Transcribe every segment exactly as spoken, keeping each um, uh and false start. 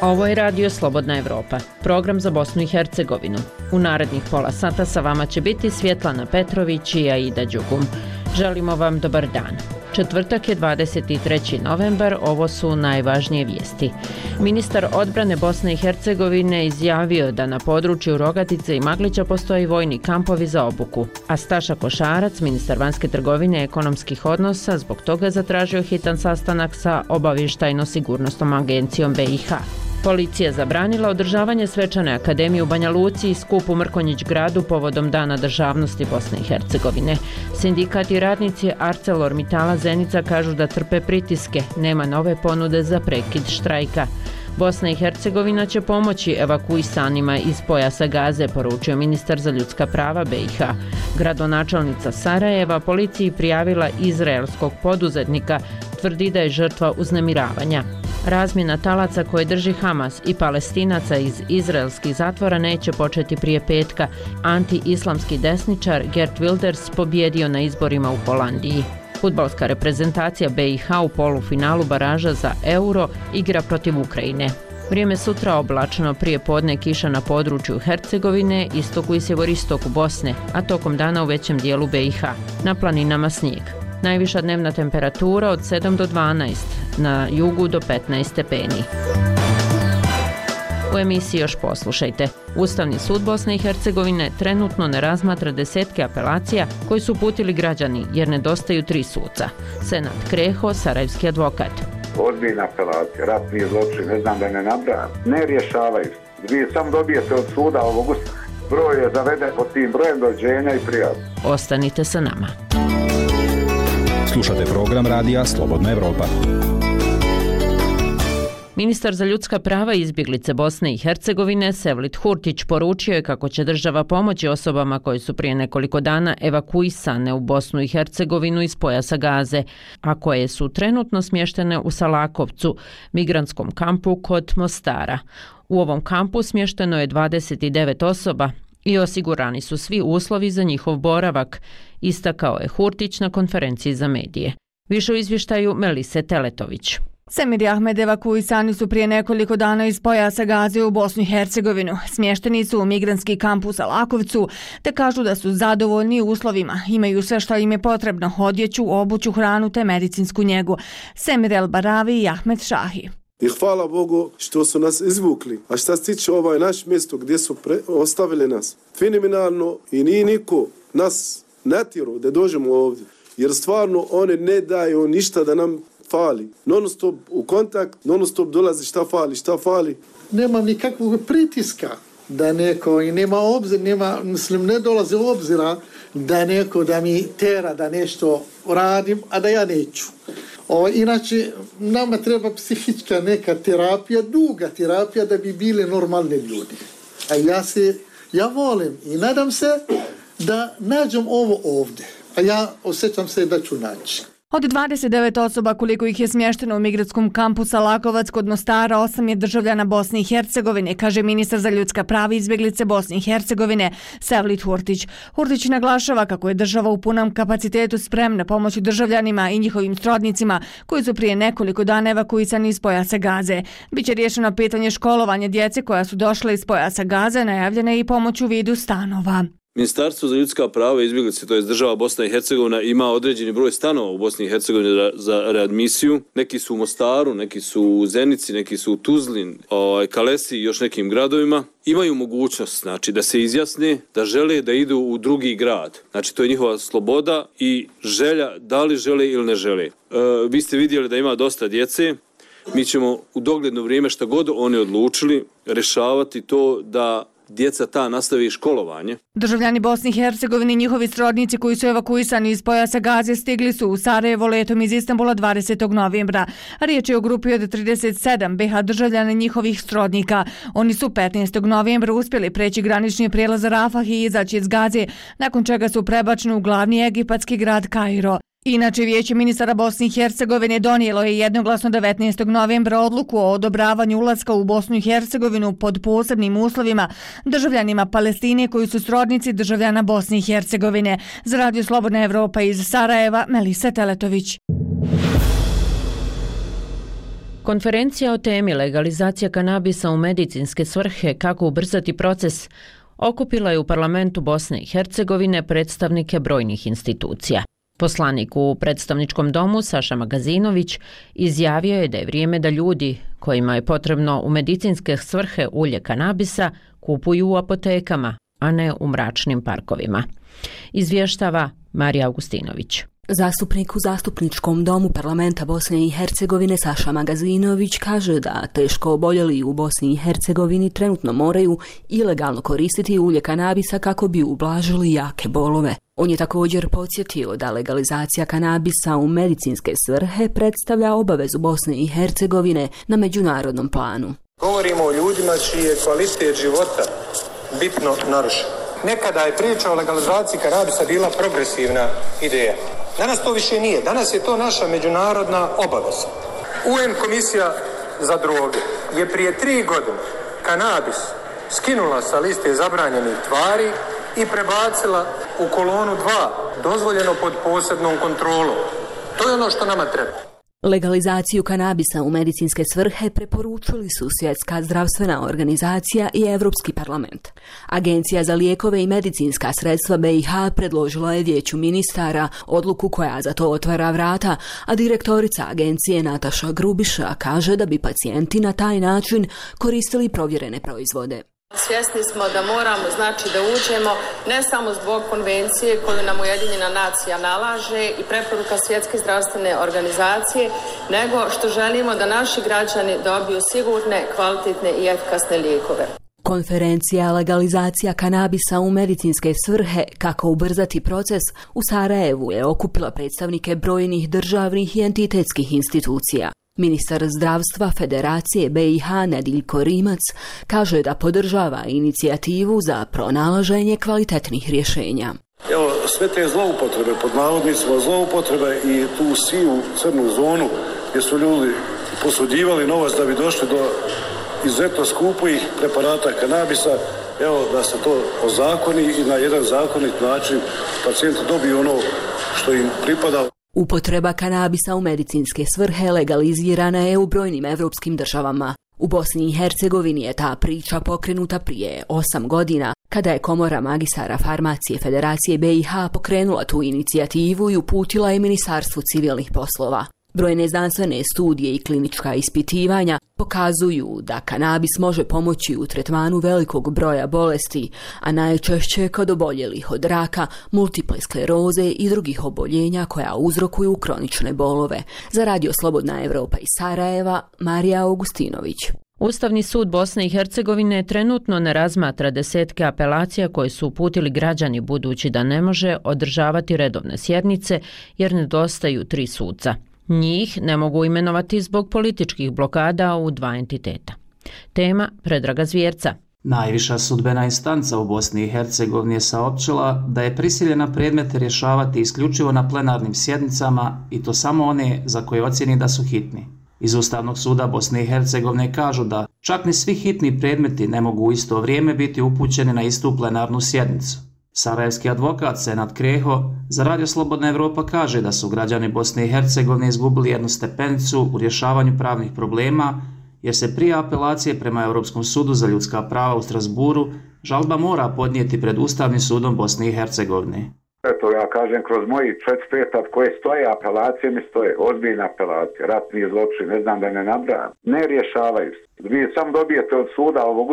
Ovo je Radio Slobodna Evropa, program za Bosnu i Hercegovinu. U narednih pola sata sa vama će biti Svjetlana Petrović i Aida Đugum. Želimo vam dobar dan. Četvrtak je dvadeset treći novembar, ovo su najvažnije vijesti. Ministar odbrane Bosne i Hercegovine izjavio da na području Rogatice i Maglića postoji vojni kampovi za obuku, a Staša Košarac, ministar vanjske trgovine i ekonomskih odnosa, zbog toga zatražio hitan sastanak sa obavještajno-sigurnosnom agencijom B i H. Policija zabranila održavanje svečane akademije u Banja Luci i skup u Mrkonjić gradu povodom Dana državnosti Bosne i Hercegovine. Sindikat i radnici ArcelorMittala Zenica kažu da trpe pritiske, nema nove ponude za prekid štrajka. Bosna i Hercegovina će pomoći evakuisanima iz pojasa Gaze, poručio ministar za ljudska prava B i H. Gradonačelnica Sarajeva policiji prijavila izraelskog poduzetnika, tvrdi da je žrtva uznemiravanja. Razmjena talaca koje drži Hamas i Palestinaca iz izraelskih zatvora neće početi prije petka. Anti-islamski desničar Geert Wilders pobjedio na izborima u Holandiji. Fudbalska reprezentacija B i H u polufinalu baraža za Euro igra protiv Ukrajine. Vrijeme sutra oblačno, prije podne kiša na području Hercegovine, istoku i sjeveristoku Bosne, a tokom dana u većem dijelu B i H. Na planinama snijeg. Najviša dnevna temperatura od sedam do dvanaest, na jugu do petnaest stepeni. U emisiji još poslušajte. Ustavni sud Bosne i Hercegovine trenutno ne razmatra desetke apelacija koji su uputili građani jer nedostaju tri suca. Senat Kreho, sarajevski advokat. Odbijena apelacija, ratni zločin, ne znam da ne nabrajam. Ne rješavaju. Vi sam dobijete od suda ovog broj je zaveden pod tim brojem dođenja i prijavu. Ostanite sa nama. Slušate program Radija Slobodna Evropa. Ministar za ljudska prava i izbjeglice Bosne i Hercegovine Sevlit Hurtić poručio je kako će država pomoći osobama koje su prije nekoliko dana evakuisane u Bosnu i Hercegovinu iz pojasa Gaze, a koje su trenutno smještene u Salakovcu, migrantskom kampu kod Mostara. U ovom kampu smješteno je dvadeset devet osoba i osigurani su svi uslovi za njihov boravak, istakao je Hurtić na konferenciji za medije. Više u izvještaju Melise Teletović. Semir i Ahmed evakuisani su prije nekoliko dana iz pojasa Gaze u Bosnu i Hercegovinu. Smješteni su u migrantski kamp u Salakovcu, te kažu da su zadovoljni uslovima. Imaju sve što im je potrebno, odjeću, obuću, hranu te medicinsku njegu. Semir El Baravi i Ahmed Šahi. I hvala Bogu što su nas izvukli. A šta se tiče ovaj naš mjesto gdje su pre, ostavili nas, fenomenalno i nije niko nas natjerao da dođemo ovdje. Jer stvarno one ne daju ništa da nam fali. Non stop u kontakt, non stop dolazi šta fali, šta fali. Nema nikakvog pritiska da neko, i nema obzir, nema, mislim, ne dolazi u obzira da neko da mi tera da nešto radim, a da ja neću. O, inače, nama treba psihička neka terapija, duga terapija da bi bili normalni ljudi. A ja se, ja volim i nadam se da nađem ovo ovdje. A ja osjećam se da ću naći. Od dvadeset devet osoba koliko ih je smješteno u migratskom kampu Salakovac kod Mostara, osam je državljana Bosne i Hercegovine, kaže ministar za ljudska prava i izbjeglice Bosne i Hercegovine Sevlit Hurtić. Hurtić naglašava kako je država u punom kapacitetu spremna pomoći državljanima i njihovim srodnicima koji su prije nekoliko dana evakuisani iz pojasa Gaze. Biće riješeno pitanje školovanja djece koja su došla iz pojasa Gaze, najavljena je i pomoć u vidu stanova. Ministarstvo za ljudska prava i izbjeglice, to je država Bosna i Hercegovina, ima određeni broj stanova u Bosni i Hercegovini za readmisiju. Neki su u Mostaru, neki su u Zenici, neki su u Tuzlin, Kalesi i još nekim gradovima. Imaju mogućnost, znači, da se izjasne da žele da idu u drugi grad. Znači, to je njihova sloboda i želja da li žele ili ne žele. E, vi ste vidjeli da ima dosta djece. Mi ćemo u dogledno vrijeme šta god oni odlučili rješavati to da djeca ta nastavi školovanje. Državljani Bosne i Hercegovine i njihovi srodnici koji su evakuisani iz pojasa Gaze stigli su u Sarajevo letom iz Istanbula dvadesetog novembra. Riječ je o grupi od trideset sedam B H državljana njihovih srodnika. Oni su petnaestog novembra uspjeli preći granični prijelaz Rafah i izaći iz Gaze, nakon čega su prebačeni u glavni egipatski grad Kairo. Inače, Vijeće ministara Bosne i Hercegovine donijelo je jednoglasno devetnaestog novembra odluku o odobravanju ulaska u Bosnu i Hercegovinu pod posebnim uslovima državljanima Palestine koji su srodnici državljana Bosne i Hercegovine. Za Radio Slobodna Evropa iz Sarajeva, Melisa Teletović. Konferencija o temi legalizacija kanabisa u medicinske svrhe, kako ubrzati proces, okupila je u parlamentu Bosne i Hercegovine predstavnike brojnih institucija. Poslanik u predstavničkom domu Saša Magazinović izjavio je da je vrijeme da ljudi kojima je potrebno u medicinske svrhe ulje kanabisa kupuju u apotekama, a ne u mračnim parkovima. Izvještava Marija Augustinović. Zastupnik u zastupničkom domu parlamenta Bosne i Hercegovine Saša Magazinović kaže da teško oboljeli u Bosni i Hercegovini trenutno moraju ilegalno koristiti ulje kanabisa kako bi ublažili jake bolove. On je također podsjetio da legalizacija kanabisa u medicinske svrhe predstavlja obavezu Bosne i Hercegovine na međunarodnom planu. Govorimo o ljudima čiji je kvalitet života bitno narušen. Nekada je priča o legalizaciji kanabisa bila progresivna ideja. Danas to više nije. Danas je to naša međunarodna obaveza. U en komisija za droge je prije tri godine kanabis skinula sa liste zabranjenih tvari i prebacila u kolonu dva, dozvoljeno pod posebnom kontrolom. To je ono što nama treba. Legalizaciju kanabisa u medicinske svrhe preporučili su Svjetska zdravstvena organizacija i Europski parlament. Agencija za lijekove i medicinska sredstva be i ha predložila je Vijeću ministara odluku koja za to otvara vrata, a direktorica agencije Nataša Grubiša kaže da bi pacijenti na taj način koristili provjerene proizvode. Svjesni smo da moramo, znači, da uđemo ne samo zbog konvencije koju nam Ujedinjena nacija nalaže i preporuka Svjetske zdravstvene organizacije, nego što želimo da naši građani dobiju sigurne, kvalitetne i efikasne lijekove. Konferencija legalizacija kanabisa u medicinske svrhe, kako ubrzati proces, u Sarajevu je okupila predstavnike brojnih državnih i entitetskih institucija. Ministar zdravstva Federacije be i ha Nediljko Rimac kaže da podržava inicijativu za pronalaženje kvalitetnih rješenja. Evo, sve te zloupotrebe, pod navodnicima zloupotrebe i tu sivu crnu zonu gdje su ljudi posuđivali novac da bi došli do izuzetno skupih preparata kanabisa, evo da se to ozakoni i na jedan zakonit način pacijenti dobiju ono što im pripada. Upotreba kanabisa u medicinske svrhe legalizirana je u brojnim evropskim državama. U Bosni i Hercegovini je ta priča pokrenuta prije osam godina, kada je Komora magistara farmacije Federacije be i ha pokrenula tu inicijativu i uputila je Ministarstvu civilnih poslova. Brojne znanstvene studije i klinička ispitivanja pokazuju da kanabis može pomoći u tretmanu velikog broja bolesti, a najčešće kod oboljelih od raka, multiple skleroze i drugih oboljenja koja uzrokuju kronične bolove. Za Radio Slobodna Evropa iz Sarajeva, Marija Augustinović. Ustavni sud Bosne i Hercegovine trenutno ne razmatra desetke apelacija koje su uputili građani, budući da ne može održavati redovne sjednice jer nedostaju tri suca. Njih ne mogu imenovati zbog političkih blokada u dva entiteta. Tema Predraga Zvjerca. Najviša sudbena instanca u Bosni i Hercegovini je saopćila da je prisiljena predmete rješavati isključivo na plenarnim sjednicama i to samo one za koje ocjeni da su hitni. Iz Ustavnog suda Bosne i Hercegovine kažu da čak ni svi hitni predmeti ne mogu u isto vrijeme biti upućeni na istu plenarnu sjednicu. Sarajevski advokat Senad Kreho za Radio Slobodna Evropa kaže da su građani Bosne i Hercegovine izgubili jednu stepenicu u rješavanju pravnih problema, jer se prije apelacije prema Europskom sudu za ljudska prava u Strasburu žalba mora podnijeti pred Ustavnim sudom Bosne i Hercegovine. Eto, ja kažem, kroz moji četiri pet koje stoje, apelacije mi stoje, ozbiljne apelacije, ratni zločin, ne znam da ne nabrajam, ne rješavaju se. Vi sam dobijete od suda ovog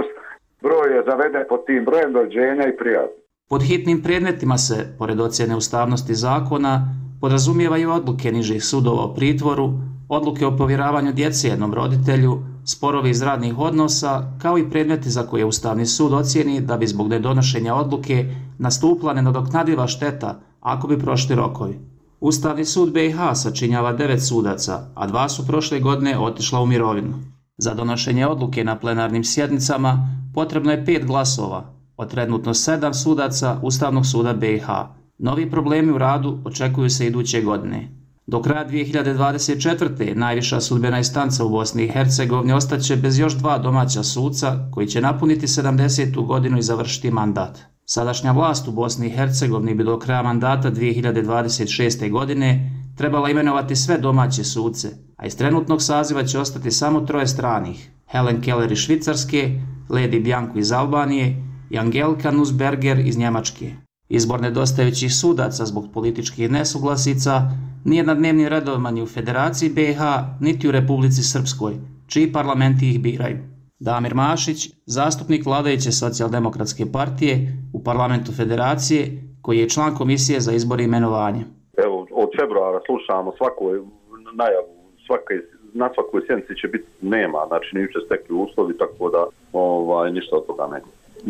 broj je zaveden pod tim brojem dođenja i prijatno. Pod hitnim predmetima se, pored ocjene ustavnosti zakona, podrazumijevaju odluke nižih sudova o pritvoru, odluke o povjeravanju djece jednom roditelju, sporovi iz radnih odnosa, kao i predmeti za koje Ustavni sud ocijeni da bi zbog nedonošenja odluke nastupila nenadoknadiva šteta ako bi prošli rokovi. Ustavni sud be i ha sačinjava devet sudaca, a dva su prošle godine otišla u mirovinu. Za donošenje odluke na plenarnim sjednicama potrebno je pet glasova, od trenutno sedam sudaca Ustavnog suda be i ha. Novi problemi u radu očekuju se iduće godine. Do kraja dvije hiljade dvadeset četvrte. najviša sudbena instanca u Bosni i Hercegovini ostaće bez još dva domaća suca koji će napuniti sedamdesetu godinu i završiti mandat. Sadašnja vlast u Bosni i Hercegovini bi do kraja mandata dvije hiljade dvadeset šeste. godine trebala imenovati sve domaće suce, a iz trenutnog saziva će ostati samo troje stranih, Helen Keller iz Švicarske, Lady Bianco iz Albanije i Angelika Nussberger iz Njemačke. Izbor nedostajućih sudaca zbog političkih nesuglasica nije na dnevnim redovima ni u Federaciji B i H, niti u Republici Srpskoj, čiji parlamenti ih biraju. Damir Mašić, zastupnik vladajuće socijaldemokratske partije u parlamentu Federacije, koji je član komisije za izbor i imenovanje. Evo, od februara slušamo svaku najavu, svake, na svakoj sjednici će biti nema, znači nisu se stekli uslovi, tako da ovaj, ništa od toga ne.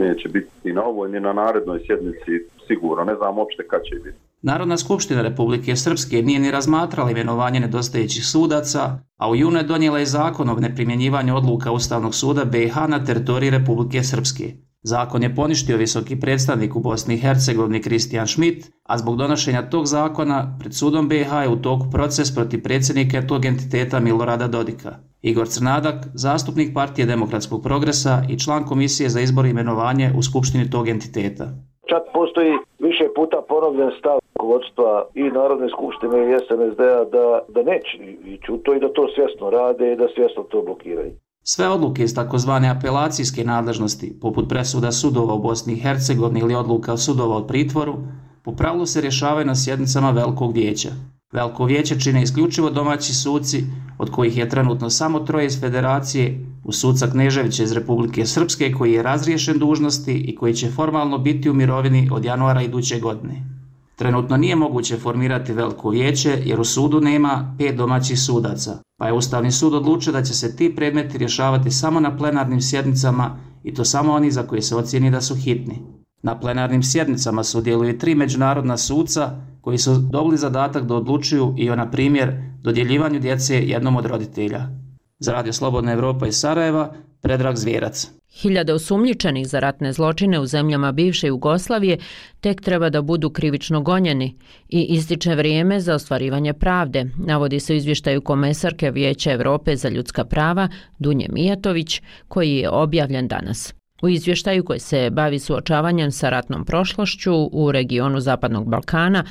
Neće biti ni na ovoj, ni na narednoj sjednici sigurno, ne znam uopšte kad će biti. Narodna skupština Republike Srpske nije ni razmatrala imenovanje nedostajućih sudaca, a u junu je donijela i zakon o neprimjenjivanju odluka Ustavnog suda B i H na teritoriji Republike Srpske. Zakon je poništio visoki predstavnik u Bosni i Hercegovini Kristijan Schmidt, a zbog donošenja tog zakona pred sudom B i H je u toku proces protiv predsjednika tog entiteta Milorada Dodika. Igor Crnadak, zastupnik Partije demokratskog progresa i član komisije za izbor i imenovanje u skupštini tog entiteta. Čak postoji više puta ponovljen stav rukovodstva i Narodne skupštine i S N S D-a da, da neće ići u to i da to svjesno rade i da svjesno to blokiraju. Sve odluke iz takozvane apelacijske nadležnosti, poput presuda sudova u Bosni i Hercegovini ili odluka sudova od pritvoru, po pravilu se rješavaju na sjednicama Velikog vijeća. Veliko vijeće čine isključivo domaći suci, od kojih je trenutno samo troje iz Federacije, uz suca Kneževića iz Republike Srpske koji je razriješen dužnosti i koji će formalno biti u mirovini od januara iduće godine. Trenutno nije moguće formirati Veliko vijeće jer u sudu nema pet domaćih sudaca, pa je Ustavni sud odlučio da će se ti predmeti rješavati samo na plenarnim sjednicama i to samo oni za koje se ocijeni da su hitni. Na plenarnim sjednicama sudjeluju tri međunarodna suca koji su dobili zadatak da odlučuju i o, na primjer, dodjeljivanju djece jednom od roditelja. Za Radio Slobodna Evropa iz Sarajeva, Predrag Zvjerac. Hiljade osumnjičenih za ratne zločine u zemljama bivše Jugoslavije tek treba da budu krivično gonjeni i ističe vrijeme za ostvarivanje pravde, navodi se u izvještaju komesarke Vijeća Evrope za ljudska prava Dunje Mijatović, koji je objavljen danas. U izvještaju koji se bavi suočavanjem sa ratnom prošlošću u regionu Zapadnog Balkana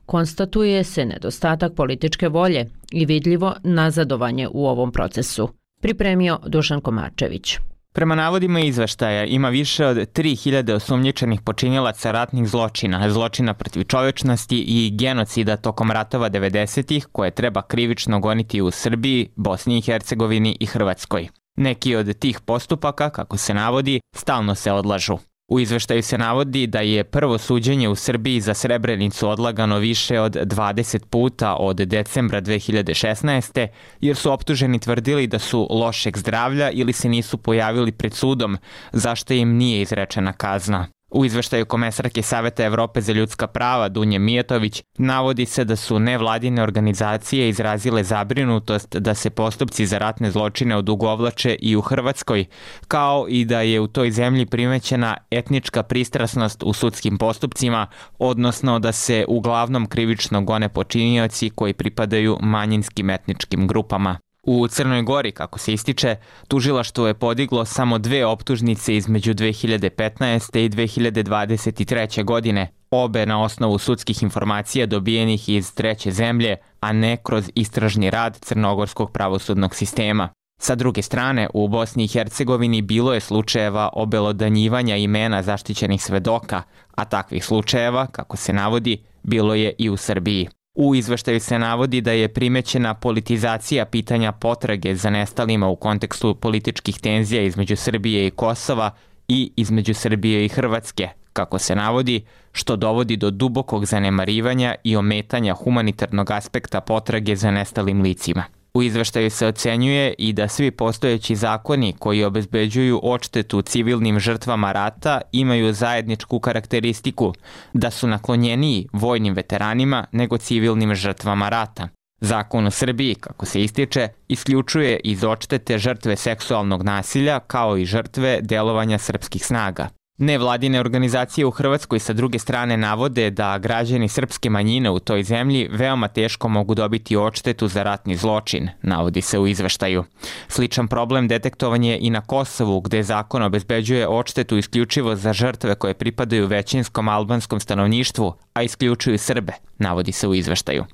konstatuje se nedostatak političke volje i vidljivo nazadovanje u ovom procesu. Pripremio Dušan Komarčević. Prema navodima izveštaja ima više od tri hiljade osumnjičenih počinilaca ratnih zločina, zločina protiv čovječnosti i genocida tokom ratova devedesetih koje treba krivično goniti u Srbiji, Bosni i Hercegovini i Hrvatskoj. Neki od tih postupaka, kako se navodi, stalno se odlažu. U izveštaju se navodi da je prvo suđenje u Srbiji za Srebrenicu odlagano više od dvadeset puta od decembra dve hiljade šesnaeste. jer su optuženi tvrdili da su lošeg zdravlja ili se nisu pojavili pred sudom, zašto im nije izrečena kazna. U izveštaju komesarke Saveta Evrope za ljudska prava Dunje Mijatović navodi se da su nevladine organizacije izrazile zabrinutost da se postupci za ratne zločine odugovlače i u Hrvatskoj, kao i da je u toj zemlji primećena etnička pristrasnost u sudskim postupcima, odnosno da se uglavnom krivično gone počinioci koji pripadaju manjinskim etničkim grupama. U Crnoj Gori, kako se ističe, tužilaštvo je podiglo samo dve optužnice između dve hiljade petnaeste. i dve hiljade dvadeset treće. godine, obe na osnovu sudskih informacija dobijenih iz treće zemlje, a ne kroz istražni rad crnogorskog pravosudnog sistema. Sa druge strane, u Bosni i Hercegovini bilo je slučajeva obelodanjivanja imena zaštićenih svedoka, a takvih slučajeva, kako se navodi, bilo je i u Srbiji. U izveštaju se navodi da je primećena politizacija pitanja potrage za nestalima u kontekstu političkih tenzija između Srbije i Kosova i između Srbije i Hrvatske, kako se navodi, što dovodi do dubokog zanemarivanja i ometanja humanitarnog aspekta potrage za nestalim licima. U izveštaju se ocenjuje i da svi postojeći zakoni koji obezbeđuju odštetu civilnim žrtvama rata imaju zajedničku karakteristiku, da su naklonjeniji vojnim veteranima nego civilnim žrtvama rata. Zakon u Srbiji, kako se ističe, isključuje iz odštete žrtve seksualnog nasilja kao i žrtve delovanja srpskih snaga. Nevladine organizacije u Hrvatskoj sa druge strane navode da građani srpske manjine u toj zemlji veoma teško mogu dobiti odštetu za ratni zločin, navodi se u izveštaju. Sličan problem detektovan je i na Kosovu, gde zakon obezbeđuje odštetu isključivo za žrtve koje pripadaju većinskom albanskom stanovništvu, a isključuju Srbe, navodi se u izveštaju.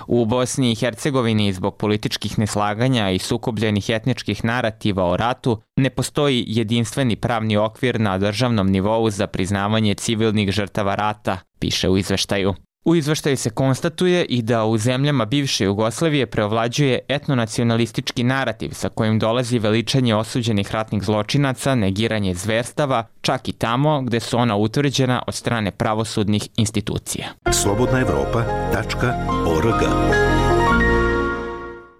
U Bosni i Hercegovini zbog političkih neslaganja i sukobljenih etničkih narativa o ratu ne postoji jedinstveni pravni okvir na državnom nivou za priznavanje civilnih žrtava rata, piše u izveštaju. U izveštaju se konstatuje i da u zemljama bivše Jugoslavije preovlađuje etnonacionalistički narativ sa kojim dolazi veličanje osuđenih ratnih zločinaca, negiranje zverstava, čak i tamo gde su ona utvrđena od strane pravosudnih institucija. slobodna evropa tačka org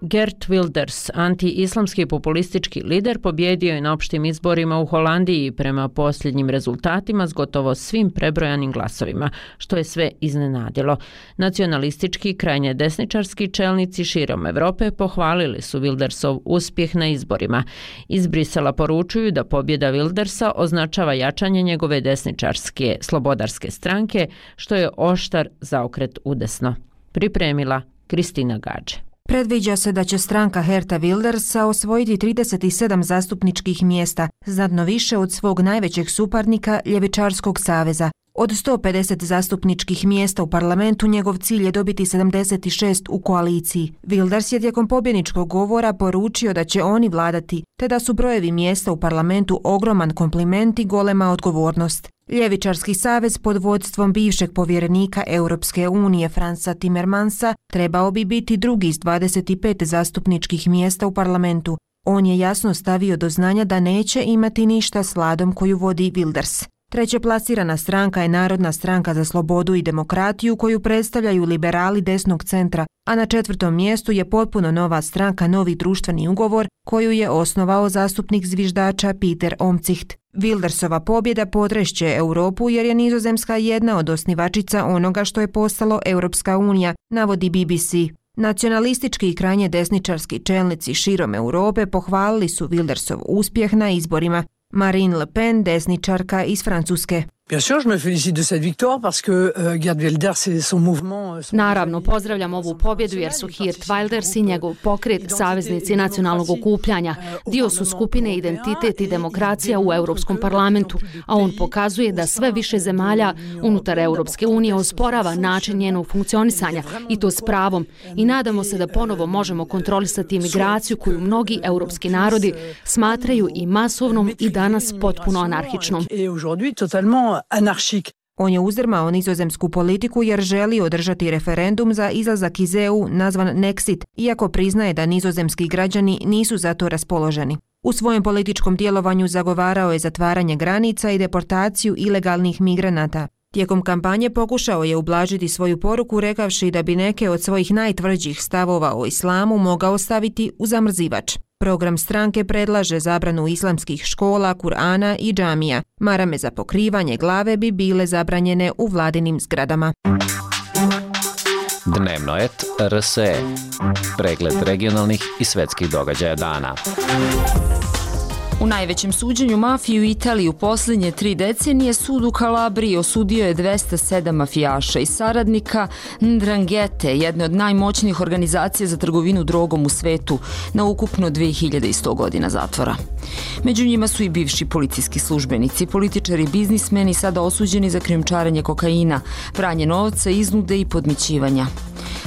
Geert Wilders, anti-islamski populistički lider, pobjedio je na opštim izborima u Holandiji prema posljednjim rezultatima s gotovo svim prebrojanim glasovima, što je sve iznenadilo. Nacionalistički, krajnje desničarski čelnici širom Evrope pohvalili su Wildersov uspjeh na izborima. Iz Brisela poručuju da pobjeda Wildersa označava jačanje njegove desničarske slobodarske stranke, što je oštar zaokret udesno. Pripremila Kristina Gađe. Predviđa se da će stranka Geerta Wildersa osvojiti trideset sedam zastupničkih mjesta, znatno više od svog najvećeg suparnika Ljevičarskog saveza. Od sto pedeset zastupničkih mjesta u parlamentu njegov cilj je dobiti sedamdeset šest u koaliciji. Wilders je tijekom pobjedničkog govora poručio da će oni vladati, te da su brojevi mjesta u parlamentu ogroman kompliment i golema odgovornost. Ljevičarski savez pod vodstvom bivšeg povjerenika Europske unije Fransa Timmermansa trebao bi biti drugi s dvadeset pet zastupničkih mjesta u parlamentu. On je jasno stavio do znanja da neće imati ništa s vladom koju vodi Wilders. Treće plasirana stranka je Narodna stranka za slobodu i demokratiju koju predstavljaju liberali desnog centra, a na četvrtom mjestu je potpuno nova stranka Novi društveni ugovor koju je osnovao zastupnik zviždača Pieter Omtzigt. Wildersova pobjeda potrešće Europu jer je Nizozemska jedna od osnivačica onoga što je postalo Europska unija, navodi B B C. Nacionalistički i krajnje desničarski čelnici širom Europe pohvalili su Wildersov uspjeh na izborima. Marine Le Pen, desničarka iz Francuske. Naravno, pozdravljam ovu pobjedu jer su Geert Wilders i njegov pokret saveznici nacionalnog okupljanja. Dio su skupine Identitet i demokracija u Europskom parlamentu, a on pokazuje da sve više zemalja unutar Europske unije osporava način njenog funkcionisanja i to s pravom. I nadamo se da ponovo možemo kontrolisati imigraciju koju mnogi europski narodi smatraju i masovnom i danas potpuno anarhičnom. On je uzdrmao nizozemsku politiku jer želi održati referendum za izlazak iz E U nazvan Nexit, iako priznaje da nizozemski građani nisu za to raspoloženi. U svojem političkom djelovanju zagovarao je zatvaranje granica i deportaciju ilegalnih migranata. Tijekom kampanje pokušao je ublažiti svoju poruku rekavši da bi neke od svojih najtvrđih stavova o islamu mogao staviti u zamrzivač. Program stranke predlaže zabranu islamskih škola, Kur'ana i džamija. Marame za pokrivanje glave bi bile zabranjene u vladinim zgradama. Dnevno et R S E. Pregled regionalnih i svetskih događaja dana. U najvećem suđenju mafije u Italiji u posljednje tri decenije sud u Kalabriji osudio je dvesta sedam mafijaša i saradnika Ndranghete, jedne od najmoćnijih organizacija za trgovinu drogom u svetu, na ukupno dve hiljade sto godina zatvora. Među njima su i bivši policijski službenici, političari i biznismeni sada osuđeni za krijumčarenje kokaina, pranje novca, iznude i podmićivanja.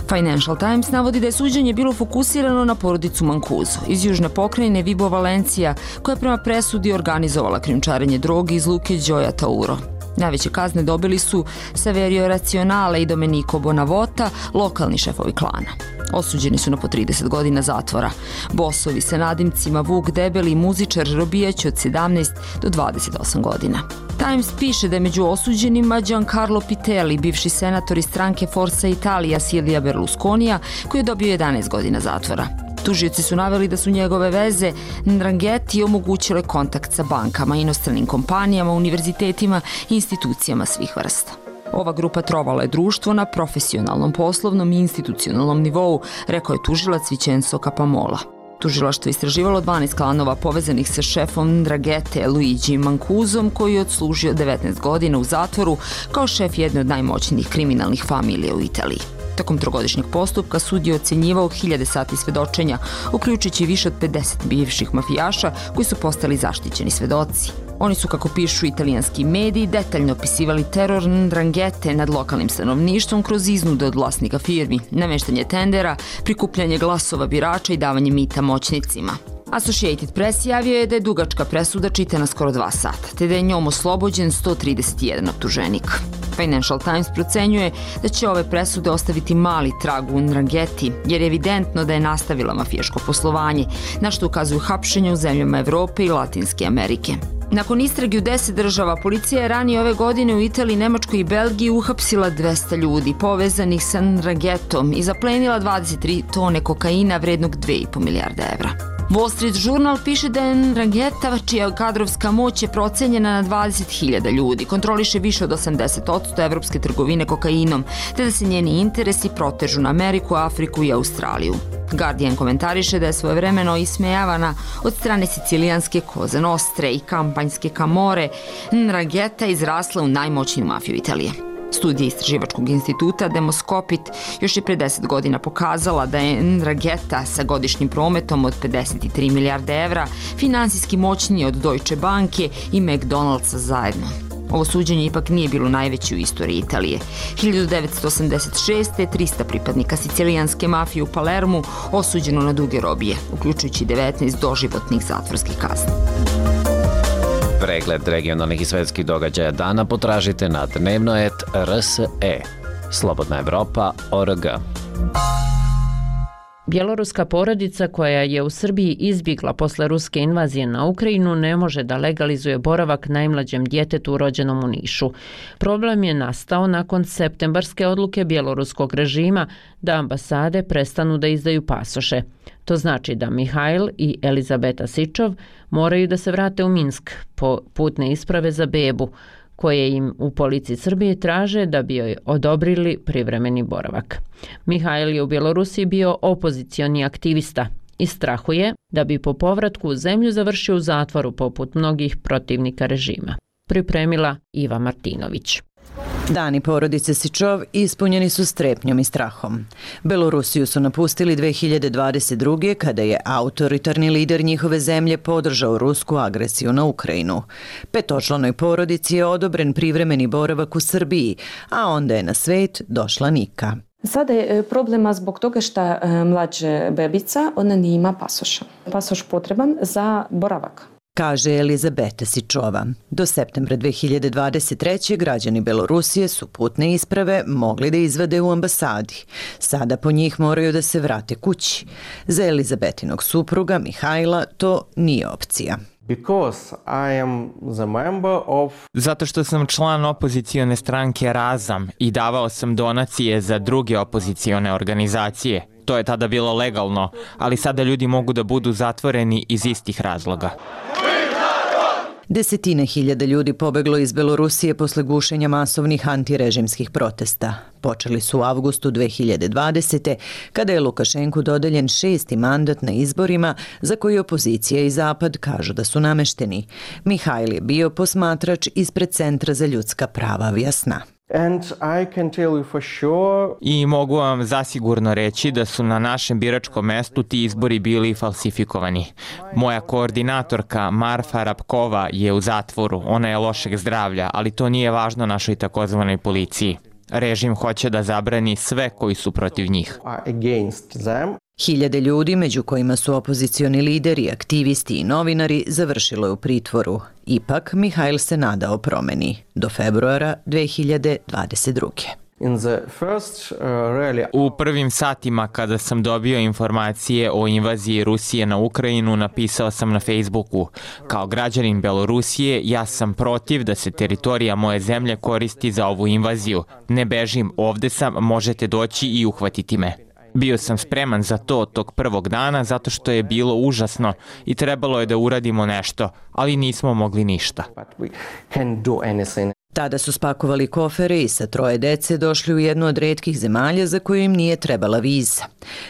Financial Times navodi da je suđenje bilo fokusirano na porodicu Mancuso iz južne pokrajine Vibo Valencija, koja je prema presudi organizovala krijumčarenje droge iz luke Gioia Tauro. Najveće kazne dobili su Saverio Razionale i Domenico Bonavota, lokalni šefovi klana. Osuđeni su na po trideset godina zatvora. Bosovi sa nadimcima Vuk Debeli i muzičar robijać od sedamnaest do dvadeset osam godina. Times piše da je među osuđenima Giancarlo Pitelli, bivši senator iz stranke Forza Italia Silvia Berlusconija, koji je dobio jedanaest godina zatvora. Tužioci su naveli da su njegove veze Ndrangheti omogućile kontakt sa bankama, inostranim kompanijama, univerzitetima i institucijama svih vrsta. Ova grupa trovala je društvo na profesionalnom, poslovnom i institucionalnom nivou, rekao je tužilac Vincenzo Capamola. Tužilaštvo je istraživalo dvanaest klanova povezanih sa šefom Ndranghete Luigi Mancuzom, koji je odslužio devetnaest godina u zatvoru kao šef jedne od najmoćnijih kriminalnih familija u Italiji. Tokom trogodišnjeg postupka sud je ocenjivao hiljade sati svedočenja, uključujući više od pedeset bivših mafijaša koji su postali zaštićeni svedoci. Oni su, kako pišu italijanski mediji, detaljno opisivali teror Ndranghete nad lokalnim stanovništvom kroz iznude od vlasnika firmi, nameštanje tendera, prikupljanje glasova birača i davanje mita moćnicima. Associated Press javio je da je dugačka presuda čitana skoro dva sata, te da je njom oslobođen sto trideset jedan optuženik. Financial Times procenjuje da će ove presude ostaviti mali trag u Ndrangheti, jer je evidentno da je nastavila mafijaško poslovanje, na što ukazuju hapšenja u zemljama Evrope i Latinske Amerike. Nakon istrage u deset država, policija je ranije ove godine u Italiji, Nemačkoj i Belgiji uhapsila dvesta ljudi povezanih sa Ndrangetom i zaplenila dvadeset tri tone kokaina vrednog dve i po milijarde evra. Wall Street Journal piše da je Ndrangheta, čija kadrovska moć je procenjena na dvadeset hiljada ljudi, kontroliše više od osamdeset posto evropske trgovine kokainom, te da se njeni interesi protežu na Ameriku, Afriku i Australiju. Guardian komentariše da je svojevremeno ismejavana od strane sicilijanske Koze Nostre i kampanjske Camorre, Ndrangheta izrasla u najmoćniju mafiju Italije. Studija istraživačkog instituta Demoskopit još je pre deset godina pokazala da je Ndrangheta sa godišnjim prometom od pedeset tri milijarde evra finansijski moćniji od Deutsche Banke i McDonald'sa zajedno. Ovo suđenje ipak nije bilo najveće u istoriji Italije. hiljadu devetsto osamdeset šeste. trista pripadnika sicilijanske mafije u Palermu osuđeno na duge robije, uključujući devetnaest doživotnih zatvorskih kazni. Pregled regionalnih i svetskih događaja dana potražite na dnevnoet R S E. Slobodna Evropa точка о р г. Bjeloruska porodica koja je u Srbiji izbjegla posle ruske invazije na Ukrajinu ne može da legalizuje boravak najmlađem djetetu rođenom u Nišu. Problem je nastao nakon septembarske odluke bjeloruskog režima da ambasade prestanu da izdaju pasoše. To znači da Mihajl i Elizabeta Sičov moraju da se vrate u Minsk po putne isprave za bebu, koje im u policiji Srbije traže da bi joj odobrili privremeni boravak. Mihajl je u Bjelorusiji bio opozicioni aktivista i strahuje da bi po povratku u zemlju završio u zatvoru poput mnogih protivnika režima. Pripremila Iva Martinović. Dani porodice Sičov ispunjeni su strepnjom i strahom. Belorusiju su napustili dve hiljade dvadeset druge. kada je autoritarni lider njihove zemlje podržao rusku agresiju na Ukrajinu. Petočlanoj porodici je odobren privremeni boravak u Srbiji, a onda je na svet došla Nika. Sada je problema zbog toga što mlađa bebica, ona nima pasoša. Pasoš potreban za boravak, kaže Elizabeta Sičova. Do septembra dve hiljade dvadeset treće. građani Belorusije su putne isprave mogli da izvade u ambasadi. Sada po njih moraju da se vrate kući. Za Elizabetinog supruga Mihajla to nije opcija. Because I am the member of... Zato što sam član opozicione stranke Razam i davao sam donacije za druge opozicione organizacije. To je tada bilo legalno, ali sada ljudi mogu da budu zatvoreni iz istih razloga. Desetine hiljada ljudi pobeglo iz Belorusije posle gušenja masovnih antirežimskih protesta. Počeli su u avgustu dve hiljade dvadesete. kada je Lukašenku dodeljen šesti mandat na izborima za koji opozicija i Zapad kažu da su namešteni. Mihajl je bio posmatrač ispred Centra za ljudska prava Vjasna. And I can tell you for sure... I mogu vam zasigurno reći da su na našem biračkom mestu ti izbori bili falsifikovani. Moja koordinatorka Marfa Rapkova je u zatvoru, ona je lošeg zdravlja, ali to nije važno našoj takozvanoj policiji. Režim hoće da zabrani sve koji su protiv njih. Hiljade ljudi, među kojima su opozicioni lideri, aktivisti i novinari, završilo je u pritvoru. Ipak, Mihajl se nadao promeni do februara dve hiljade dvadeset druge. In the first, uh, really... U prvim satima kada sam dobio informacije o invaziji Rusije na Ukrajinu, napisao sam na Facebooku: kao građanin Belorusije, ja sam protiv da se teritorija moje zemlje koristi za ovu invaziju. Ne bežim, ovde sam, možete doći i uhvatiti me. Bio sam spreman za to tog prvog dana zato što je bilo užasno i trebalo je da uradimo nešto, ali nismo mogli ništa. Tada su spakovali kofere i sa troje dece došli u jednu od retkih zemalja za koju im nije trebala viza.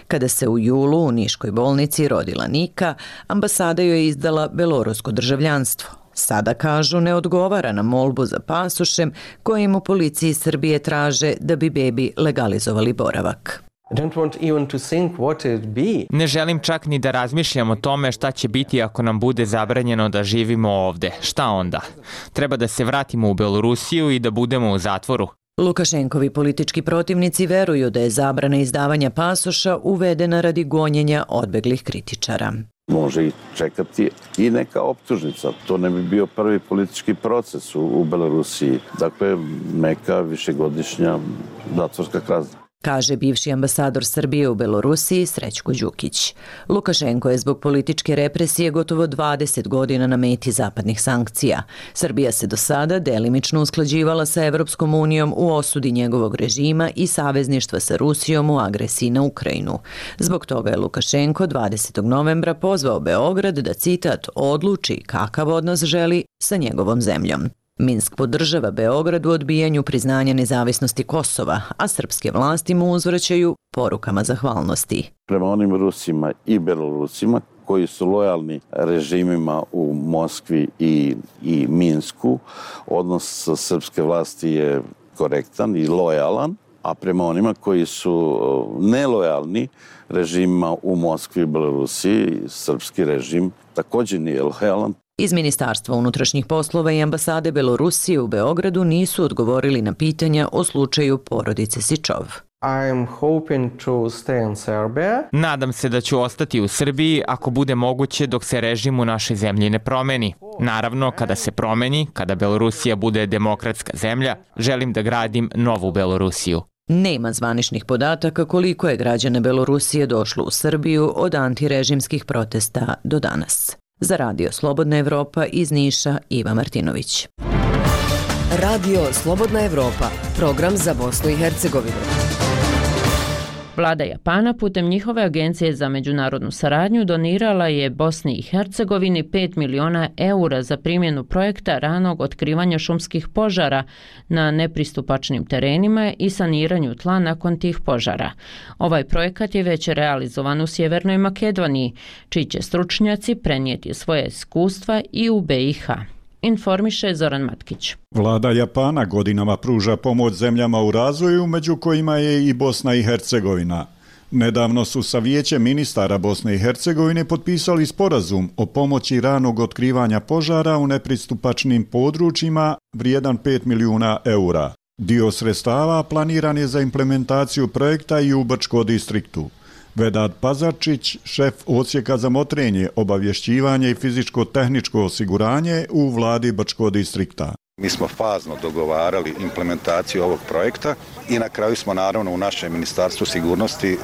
Kada se u julu u Niškoj bolnici rodila Nika, ambasada joj je izdala belorusko državljanstvo. Sada, kažu, ne odgovara na molbu za pasošem kojim u policiji Srbije traže da bi bebi legalizovali boravak. Ne želim čak ni da razmišljam o tome šta će biti ako nam bude zabranjeno da živimo ovde. Šta onda? Treba da se vratimo u Belorusiju i da budemo u zatvoru. Lukašenkovi politički protivnici veruju da je zabrana izdavanja pasoša uvedena radi gonjenja odbeglih kritičara. Može i čekati i neka optužnica. To ne bi bio prvi politički proces u, u Belorusiji. Dakle, neka višegodišnja zatvorska kazna, kaže bivši ambasador Srbije u Belorusiji Srećko Đukić. Lukašenko je zbog političke represije gotovo dvadeset godina na meti zapadnih sankcija. Srbija se do sada delimično usklađivala sa Evropskom unijom u osudi njegovog režima i savezništva sa Rusijom u agresiji na Ukrajinu. Zbog toga je Lukašenko dvadesetog novembra pozvao Beograd da, citat, odluči kakav odnos želi sa njegovom zemljom. Minsk podržava Beograd u odbijanju priznanja nezavisnosti Kosova, a srpske vlasti mu uzvraćaju porukama zahvalnosti. Prema onim Rusima i Belorusima koji su lojalni režimima u Moskvi i, i Minsku, odnos srpske vlasti je korektan i lojalan, a prema onima koji su nelojalni režimima u Moskvi i Belorusiji, srpski režim također nije lojalan. Iz Ministarstva unutrašnjih poslova i ambasade Belorusije u Beogradu nisu odgovorili na pitanja o slučaju porodice Sičov. Nadam se da ću ostati u Srbiji ako bude moguće dok se režim u našoj zemlji ne promeni. Naravno, kada se promeni, kada Belorusija bude demokratska zemlja, želim da gradim novu Belorusiju. Nema zvaničnih podataka koliko je građana Belorusije došlo u Srbiju od antirežimskih protesta do danas. Za Radio Slobodna Evropa iz Niša, Iva Martinović. Radio Slobodna Evropa, program za Bosnu i Hercegovinu. Vlada Japana putem njihove agencije za međunarodnu saradnju donirala je Bosni i Hercegovini pet miliona eura za primjenu projekta ranog otkrivanja šumskih požara na nepristupačnim terenima i saniranju tla nakon tih požara. Ovaj projekat je već realizovan u Sjevernoj Makedoniji, čiji će stručnjaci prenijeti svoje iskustva i u be i ha. Informiše Zoran Matkić. Vlada Japana godinama pruža pomoć zemljama u razvoju, među kojima je i Bosna i Hercegovina. Nedavno su sa Vijećem ministara Bosne i Hercegovine potpisali sporazum o pomoći ranog otkrivanja požara u nepristupačnim područjima vrijedan pet milijuna eura. Dio sredstava planiran je za implementaciju projekta i u Brčko distriktu. Vedad Pazarčić, šef odsjeka za motrenje, obavješćivanje i fizičko-tehničko osiguranje u vladi Brčko distrikta. Mi smo fazno dogovarali implementaciju ovog projekta i na kraju smo naravno u našem Ministarstvu sigurnosti e,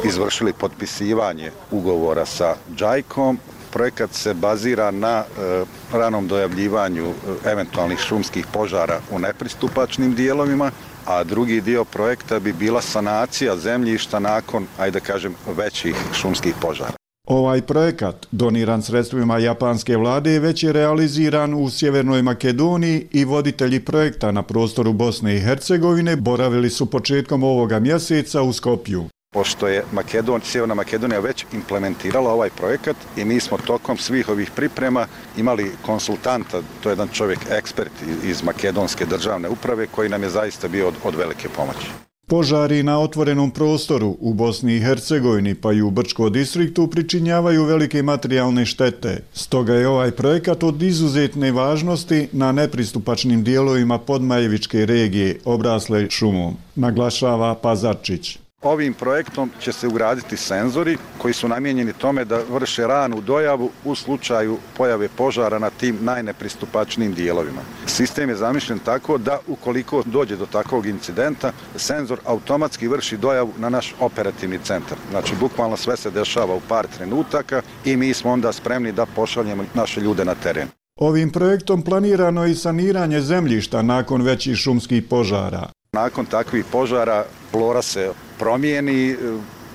izvršili potpisivanje ugovora sa džajkom. Projekat se bazira na e, ranom dojavljivanju e, eventualnih šumskih požara u nepristupačnim dijelovima, a drugi dio projekta bi bila sanacija zemljišta nakon, ajde kažem, većih šumskih požara. Ovaj projekat, doniran sredstvima japanske vlade, već je realiziran u Sjevernoj Makedoniji i voditelji projekta na prostoru Bosne i Hercegovine boravili su početkom ovoga mjeseca u Skopju. Pošto je Makedon, Sjeverna Makedonija već implementirala ovaj projekat i mi smo tokom svih ovih priprema imali konsultanta, to je jedan čovjek ekspert iz makedonske državne uprave koji nam je zaista bio od, od velike pomoći. Požari na otvorenom prostoru u Bosni i Hercegovini pa i u Brčko distriktu pričinjavaju velike materijalne štete. Stoga je ovaj projekat od izuzetne važnosti na nepristupačnim dijelovima Podmajevičke regije obrasle šumom, naglašava Pazarčić. Ovim projektom će se ugraditi senzori koji su namijenjeni tome da vrše ranu dojavu u slučaju pojave požara na tim najnepristupačnijim dijelovima. Sistem je zamišljen tako da ukoliko dođe do takvog incidenta, senzor automatski vrši dojavu na naš operativni centar. Znači, bukvalno sve se dešava u par trenutaka i mi smo onda spremni da pošaljemo naše ljude na teren. Ovim projektom planirano je i saniranje zemljišta nakon većih šumskih požara. Nakon takvih požara flora se promijeni,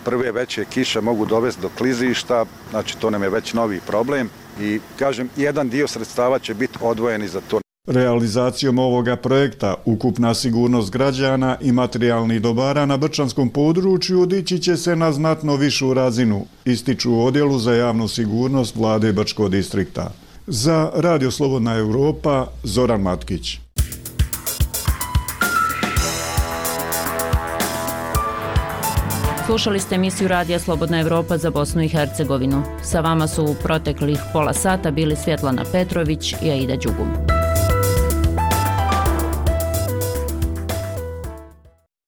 prve veće kiše mogu dovesti do klizišta, znači to nam je već novi problem i kažem, jedan dio sredstava će biti odvojeni za to. Realizacijom ovoga projekta ukupna sigurnost građana i materijalnih dobara na brčanskom području dići će se na znatno višu razinu, ističu u odjelu za javnu sigurnost vlade Brčko distrikta. Za Radio Slobodna Europa, Zoran Matkić. Slušali ste emisiju Radija Slobodna Evropa za Bosnu i Hercegovinu. Sa vama su u proteklih pola sata bili Svjetlana Petrović i Aida Đugum.